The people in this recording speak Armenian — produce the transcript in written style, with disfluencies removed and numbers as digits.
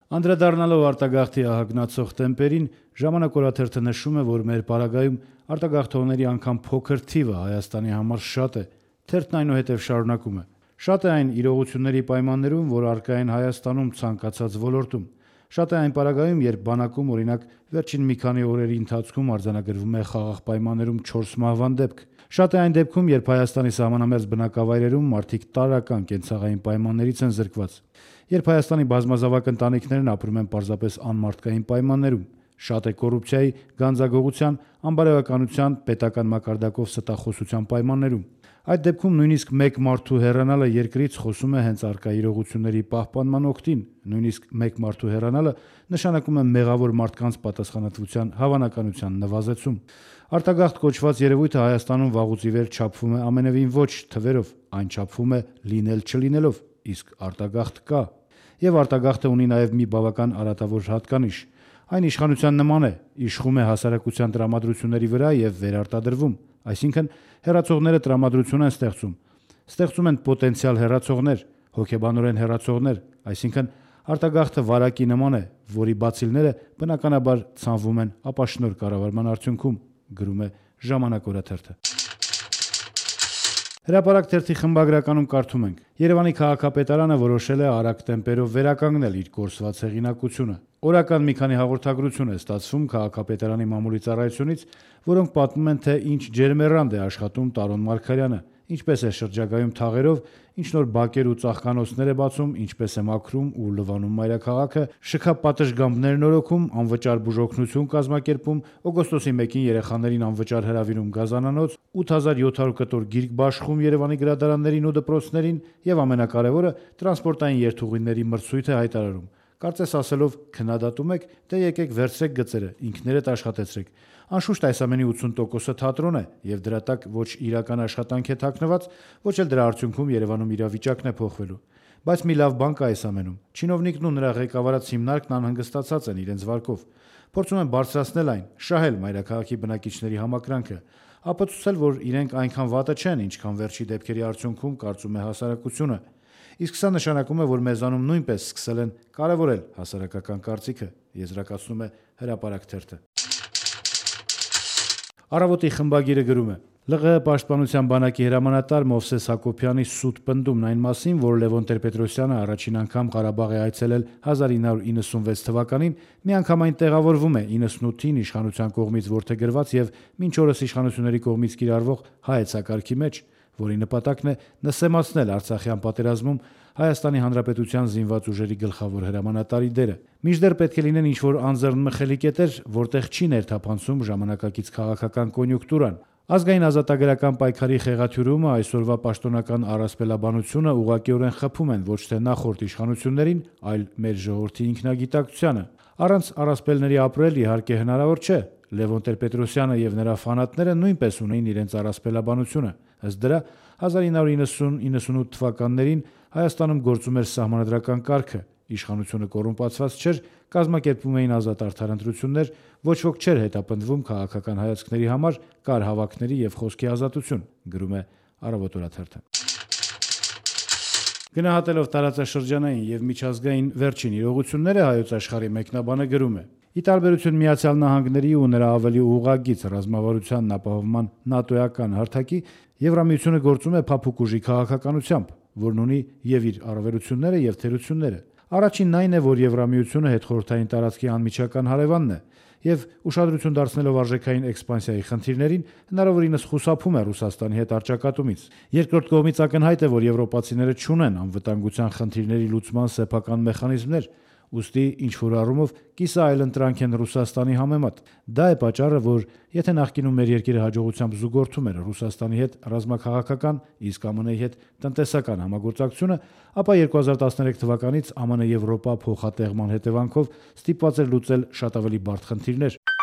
Անդրադառնալով արտագաղթի ահագնացող տեմպերին, Ժամանակ օրաթերթը նշում է, որ մեր պարագայում արտագաղթողների անգամ փոքր թիվը Հայաստանի համար շատ է։ Թերթն այնուհետև շարունակում է. «Շատ է այն իրողությունների պայմաններում, որ առկա են Հայաստանում ցանկացած ոլորտում։ Շատ է այն պարագայում, երբ բանակում, օրինակ, վերջին մի քանի օրերի ընթացքում արձանագրվում է խաղաղ պայմաններում 4 մահվան դեպք։ Շատ է այն դեպքում, երբ Հայաստանի սահմանամերձ բնակավայրերում մարդիկ տարրական կենցաղային պայմաններից են զրկված, երբ Հայաստանի բազմազավակ ընտանիքներն ապրում են պարզապես անմարդկային պայմաններում։ Շատ է կոռուպցիայի, գանձագողության, անբարոյականության, պետական մակարդակով ստախոսության պայմաններում։ Այդ դեպքում նույնիսկ մեկ մարդու հեռանալը երկրից խոսում է հենց առկա իրողությունների պահպանման օգտին, նույնիսկ մեկ մարդու հեռանալը նշանակում է մեղավոր մարդկանց պատասխանատվության հավանականության նվազեցում։ Արտագաղթ կոչված երևույթը Հայաստանում վաղուց ի վեր չափվում է ամենևին ոչ թվերով, այն չափվում է լինել չլինելով, իսկ արտագաղթ կա։ Եվ արտագաղթը ունի նաև մի բավական արատավոր հատկանիշ։ Այն իշխանության նման է, իշխում է հասարակության տրամադրությունների վրա եւ վերարտադրվում, այսինքն հեռացողները տրամադրություն են ստեղծում են պոտենցիալ հեռացողներ, հոգեբանորեն հեռացողներ, այսինքն արտագաղթը վարակի նման է, որի բացիլները բնականաբար ցանվում են ապաշնոր կառավարման արդյունքում, գրում է Ժամանակ օրաթերթը։ Հրապարակ թերթի խմբագրականում կարդում ենք. Երևանի քաղաքապետարանը որոշել է արագ տեմպերով վերականգնել իր կորսված հեղինակությունը։ Օրական մի քանի հաղորդագրություն է ստացվում քաղաքապետարանի մամուլի ծառայությունից, որոնք պատմում են, թե ինչ ջերմեռանդ է աշխատում Տարոն Մարգարյանը, ինչպես է շրջագայում թաղերով, ինչ նոր բակեր ու ծաղկանոցներ է բացում, ինչպես է մաքրում ու լվանում մայրաքաղաքը, շքապատշգամբներ նորոգում, անվճար բուժօգնություն կազմակերպում, օգոստոսի 1-ին երեխաներին անվճար հրավիրում գազանանոց, 8700 կտոր գիրք բաշխում Երևանի գրադարաններին ու դպրոցներին եւ ամենակարևորը տրանսպորտային երթուղիների մրցույթ է հայտարարում։ Կարծես ասելով քննադատում եք, դե եկեք վերցրեք գծերը, ինքներդ աշխատեցրեք։ Անշուշտ այս ամենի 80%-ը թատրոն է եւ դրա տակ ոչ իրական աշխատանք է թաքնված, ոչ էլ դրա արդյունքում Երևանում իրավիճակն է փոխվելու։ Բայց մի լավ բան կա այս ամենում։ Չինովնիկն ու նրա ղեկավարած հիմնարկն անհանգստացած են իրենց վարկով։ Փորձում են բարձրացնել այն, շահել մայրաքաղաքի բնակիչների համակրանքը, ապացուցել, որ իրենք այնքան վատը չեն, ինչքան վերջի դեպքերի արդյունքում կարծում է հասարակությունը։ Իսկ սա նշանակում է, որ մեզանում նույնպես սկսել են կարևորել հասարակական կարծիքը, եզրակացնում է Հրապարակ թերթը։ Առավոտի խմբագիրը գրում է. ԼՂՀ պաշտպանության բանակի հրամանատար Մովսես Հակոբյանի սուտ պնդումն այն մասին, որ Լևոն Տեր-Պետրոսյանը առաջին անգամ Ղարաբաղ է այցելել 1996 թվականին, միանգամայն տեղավորվում է 98-ին իշխանության կողմից որդեգրված եւ մինչ օրս իշխանությունների կողմից կիրառվող հայեցակարգի մեջ, որի նպատակն է նսեմացնել Արցախյան պատերազմում Հայաստանի Հանրապետության զինված ուժերի գլխավոր հրամանատարի դերը։ Մինչդեռ պետք է լինեն ինչ-որ անձեռնմխելի կետեր, որտեղ չի ներթափանցում ժամանակակից քաղաքական կոնյունկտուրան։ Ազգային ազատագրական պայքարի խեղաթյուրումը, այսօրվա պաշտոնական առասպելաբանությունը ուղղակիորեն խփում են ոչ թե նախորդ իշխանություններին, այլ մեր ժողովրդի ինքնագիտակցությանը։ Առանց առասպելների ապրել իհարկե հնարավոր չէ։ Լևոն Տեր-Պետրոսյանը եւ նրա ֆանատները նույնպես ունեին իրենց առասպելաբանությունը։ Ըստ դրա 1990-98 թվականներին Հայաստանում գործում էր սահմանադրական կարգը, իշխանությունը կոռումպացված չէր, կազմակերպվում էին ազատ արդար ընտրություններ, ոչ ոք չէր հետապնդվում քաղաքական հայացքների համար, կար հավաքների եւ խոսքի ազատություն, գրում է Առավոտ օրաթերթը։ Գնահատելով տարածաշրջանային եւ միջազգային վերջին իրողությունները Հայոց Աշխարհի մեկնաբանը գրում է. Ի տարբերություն Միացյալ Նահանգների ու նրա ավելի ուղղագիծ ռազմավարությանն ապահովման նատոյական հարթակի, Եվրամիությունը գործում է փափուկ ուժի քաղաքականությամբ, որն ունի եւ իր առավելությունները եւ թերությունները։ Առաջինն այն է, որ Եվրամիությունը հետխորհրդային տարածքի անմիջական հարևանն է եւ ուշադրություն դարձնելով արժեքային էքսպանսիայի խնդիրներին հնարավորինս խուսափում է Ռուսաստանի հետ առճակատումից։ Երկրորդ կողմից ակնհայտ է, որ եվրոպացիները չունեն անվտանգության խնդիրների լուծման սեփական մեխանիզմներ, ուստի ինչ-որ առումով կիսա այլընտրանք են Ռուսաստանի համեմատ։ Դա է պատճառը, որ եթե նախկինում մեր երկիրը հաջողությամբ զուգորդում էր Ռուսաստանի հետ ռազմաքաղաքական, իսկ ԱՄՆ-ի հետ տնտեսական համագործակցությունը, ապա 2013 թվականից ԱՄՆ-Եվրոպա փոխատեղման հետևանքով ստիպված էր լուծել շատ ավելի բարդ խնդիրներ։